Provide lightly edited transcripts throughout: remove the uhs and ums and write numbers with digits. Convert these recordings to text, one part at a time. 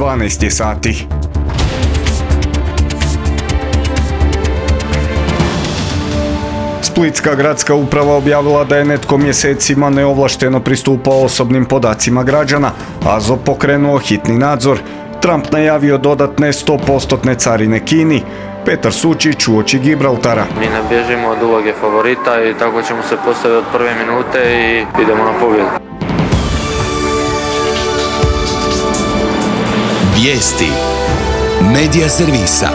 12 sati. Splitska gradska uprava objavila da je netko mjesecima neovlašteno pristupao osobnim podacima građana, AZO pokrenuo hitni nadzor, Trump najavio dodatne 100% carine Kini, Petar Sučić uoči Gibraltara. Mi ne bježimo od uloge favorita i tako ćemo se postaviti od prve minute i idemo na pobjedu. Vijesti Medija servisa.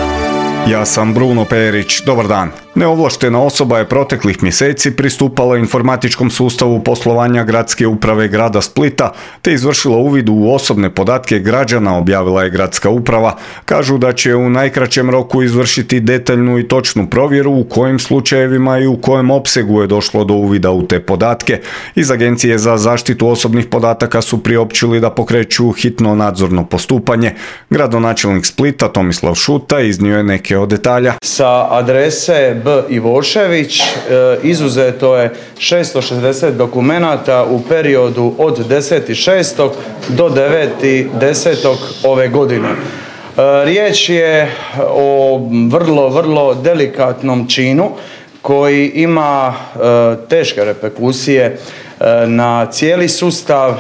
Ja sam Bruno Perić, dobar dan. Neovlaštena osoba je proteklih mjeseci pristupala informatičkom sustavu poslovanja gradske uprave grada Splita te izvršila uvid u osobne podatke građana, objavila je gradska uprava. Kažu da će u najkraćem roku izvršiti detaljnu i točnu provjeru u kojim slučajevima i u kojem opsegu je došlo do uvida u te podatke. Iz Agencije za zaštitu osobnih podataka su priopćili da pokreću hitno nadzorno postupanje. Gradonačelnik Splita Tomislav Šuta iznio je neke od detalja. Sa adrese B. Ivošević izuzeto je 660 dokumenata u periodu od 10.6. do 9.10. ove godine. Riječ je o vrlo delikatnom činu koji ima teške reperkusije na cijeli sustav,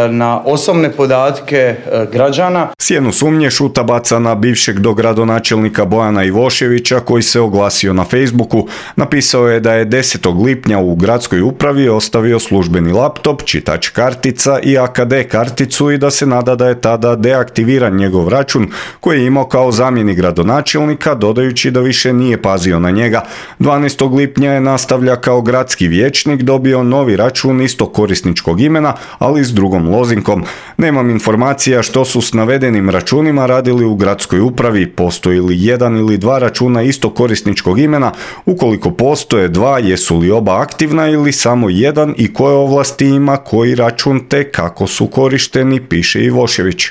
na osobne podatke građana. Sjenu sumnje Šuta baca na bivšeg dogradonačelnika Bojana Ivoševića koji se oglasio na Facebooku. Napisao je da je 10. lipnja u gradskoj upravi ostavio službeni laptop, čitač kartica i AKD karticu i da se nada da je tada deaktiviran njegov račun koji je imao kao zamjenik gradonačelnika, dodajući da više nije pazio na njega. 12. lipnja je nastavlja kao gradski vijećnik dobio novi račun istog korisničkog imena, ali s drugom lozinkom. Nemam informacija što su s navedenim računima radili u gradskoj upravi, postoji li jedan ili dva računa istog korisničkog imena, ukoliko postoje dva, jesu li oba aktivna ili samo jedan i koje ovlasti ima koji račun te kako su korišteni, piše Ivošević.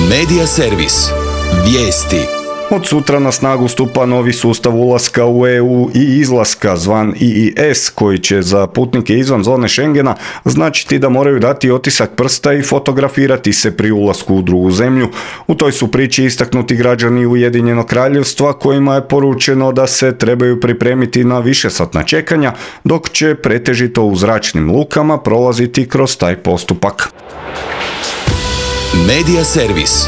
Medija servis. Vijesti. Od sutra na snagu stupa novi sustav ulaska u EU i izlaska zvan EES koji će za putnike izvan zone Schengena značiti da moraju dati otisak prsta i fotografirati se pri ulasku u drugu zemlju. U toj su priči istaknuti građani Ujedinjenog Kraljevstva kojima je poručeno da se trebaju pripremiti na višesatna čekanja dok će pretežito u zračnim lukama prolaziti kroz taj postupak. Medija servis.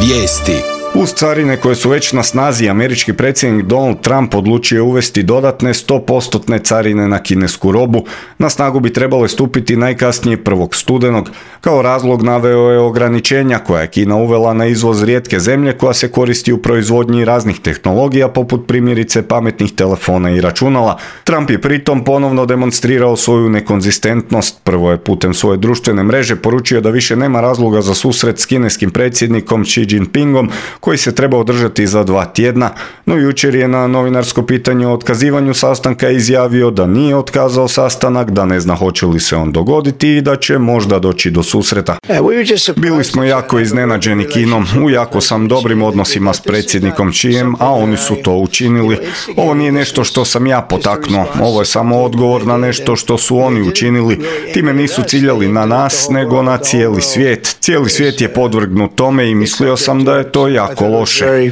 Vijesti. Uz carine koje su već na snazi, američki predsjednik Donald Trump odlučio uvesti dodatne 100% carine na kinesku robu. Na snagu bi trebale stupiti najkasnije 1. studenog. Kao razlog naveo je ograničenja koja je Kina uvela na izvoz rijetke zemlje koja se koristi u proizvodnji raznih tehnologija poput primjerice pametnih telefona i računala. Trump je pritom ponovno demonstrirao svoju nekonzistentnost. Prvo je putem svoje društvene mreže poručio da više nema razloga za susret s kineskim predsjednikom Xi Jinpingom koji se treba održati za 2 tjedna, no jučer je na novinarsko pitanje o otkazivanju sastanka izjavio da nije otkazao sastanak, da ne zna hoće li se on dogoditi i da će možda doći do susreta. Bili smo jako iznenađeni Kinom, u jako sam dobrim odnosima s predsjednikom Xijem, a oni su to učinili. Ovo nije nešto što sam ja potaknuo, ovo je samo odgovor na nešto što su oni učinili. Time nisu ciljali na nas, nego na cijeli svijet. Cijeli svijet je podvrgnut tome i mislio sam da je to jako loše.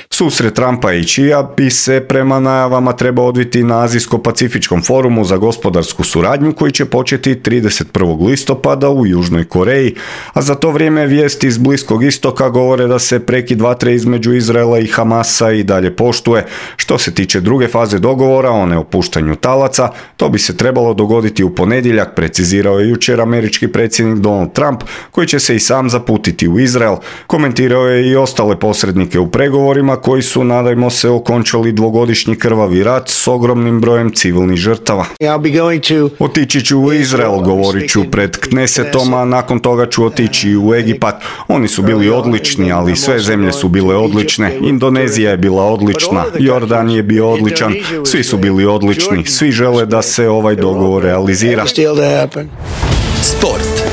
Susret Trumpa i Xija bi se prema najavama trebao odviti na Azijsko-Pacifičkom forumu za gospodarsku suradnju koji će početi 31. listopada u Južnoj Koreji, a za to vrijeme vijesti iz Bliskog istoka govore da se prekid vatre između Izraela i Hamasa i dalje poštuje. Što se tiče druge faze dogovora o neopuštanju talaca, to bi se trebalo dogoditi u ponedjeljak, precizirao je jučer američki predsjednik Donald Trump, koji će se i sam zaputiti u Izrael. Komentirao je i ostale posrednike u pregovorima koji su, nadajmo se, okončali 2-godišnji krvavi rat s ogromnim brojem civilnih žrtava. Otići ću u Izrael, govorit ću pred Knesetom, a nakon toga ću otići u Egipat. Oni su bili odlični, ali sve zemlje su bile odlične. Indonezija je bila odlična, Jordan je bio odličan, svi su bili odlični, svi žele da se ovaj dogovor realizira. Sport.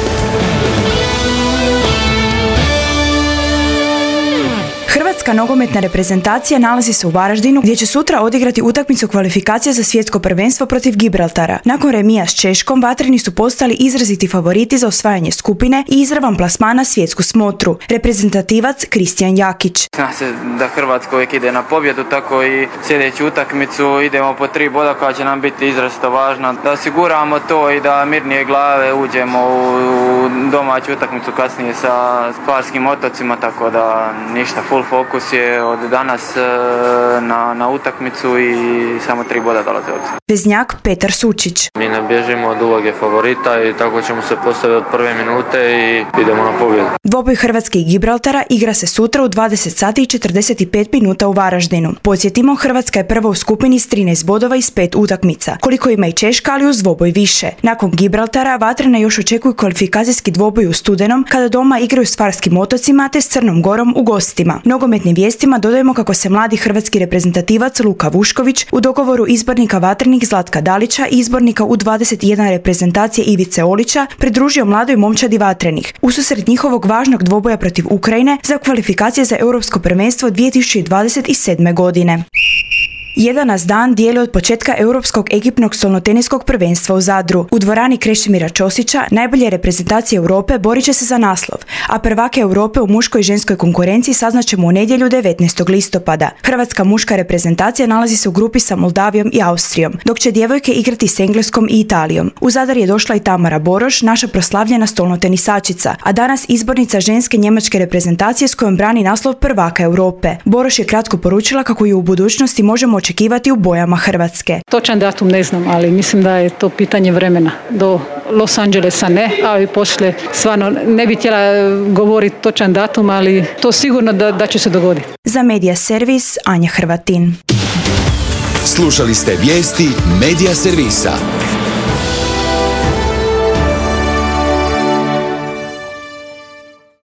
Hrvatska nogometna reprezentacija nalazi se u Varaždinu gdje će sutra odigrati utakmicu kvalifikacija za svjetsko prvenstvo protiv Gibraltara. Nakon remija s Češkom, vatreni su postali izraziti favoriti za osvajanje skupine i izravan plasman na svjetsku smotru. Reprezentativac Kristijan Jakić. Zna se da Hrvatska uvijek ide na pobjedu, tako i sljedeću utakmicu idemo po 3 boda koja će nam biti izrazito važna. Da osiguramo to i da mirnije glave uđemo u domaću utakmicu kasnije sa Hvarskim otocima, tako da ništa, full fokus je od danas na utakmicu i samo 3 boda dolaze od se. Veznjak Petar Sučić. Mi ne bježimo od uloge favorita i tako ćemo se postaviti od prve minute i idemo na pobjedu. Dvoboj Hrvatske i Gibraltara igra se sutra u 20 sati i 45 minuta u Varaždinu. Podsjetimo, Hrvatska je prva u skupini s 13 bodova iz 5 utakmica, koliko ima i Češka, ali uz dvoboj više. Nakon Gibraltara, vatrene još očekuju kvalifikacijski dvoboj u studenom, kada doma igraju s Hvarskim otocima te s Crnom Gorom u gostima. Nogometnim vijestima dodajemo kako se mladi hrvatski reprezentativac Luka Vušković u dogovoru izbornika vatrenih Zlatka Dalića i izbornika U21 reprezentacije Ivice Olića pridružio mladoj momčadi vatrenih ususret njihovog važnog dvoboja protiv Ukrajine za kvalifikacije za Europsko prvenstvo 2027. godine. Jedan nas dan dijeli od početka Europskog ekipnog stolnoteniskog prvenstva u Zadru. U dvorani Krešimira Ćosića najbolje reprezentacije Europe borit će se za naslov, a prvake Europe u muškoj i ženskoj konkurenciji saznaćemo u nedjelju 19. listopada. Hrvatska muška reprezentacija nalazi se u grupi sa Moldavijom i Austrijom, dok će djevojke igrati s Engleskom i Italijom. U Zadar je došla i Tamara Boroš, naša proslavljena stolnotenisačica, a danas izbornica ženske njemačke reprezentacije s kojom brani naslov prvaka Europe. Boroš je kratko poručila kako ju u budućnosti možemo očekivati u bojama Hrvatske. Točan datum ne znam, ali mislim da je to pitanje vremena. Do Los Angelesa ne, a i poslije stvarno ne bi htjela govoriti točan datum, ali to sigurno da će se dogoditi. Za Medija Servis, Anja Hrvatin. Slušali ste vijesti Medija Servisa.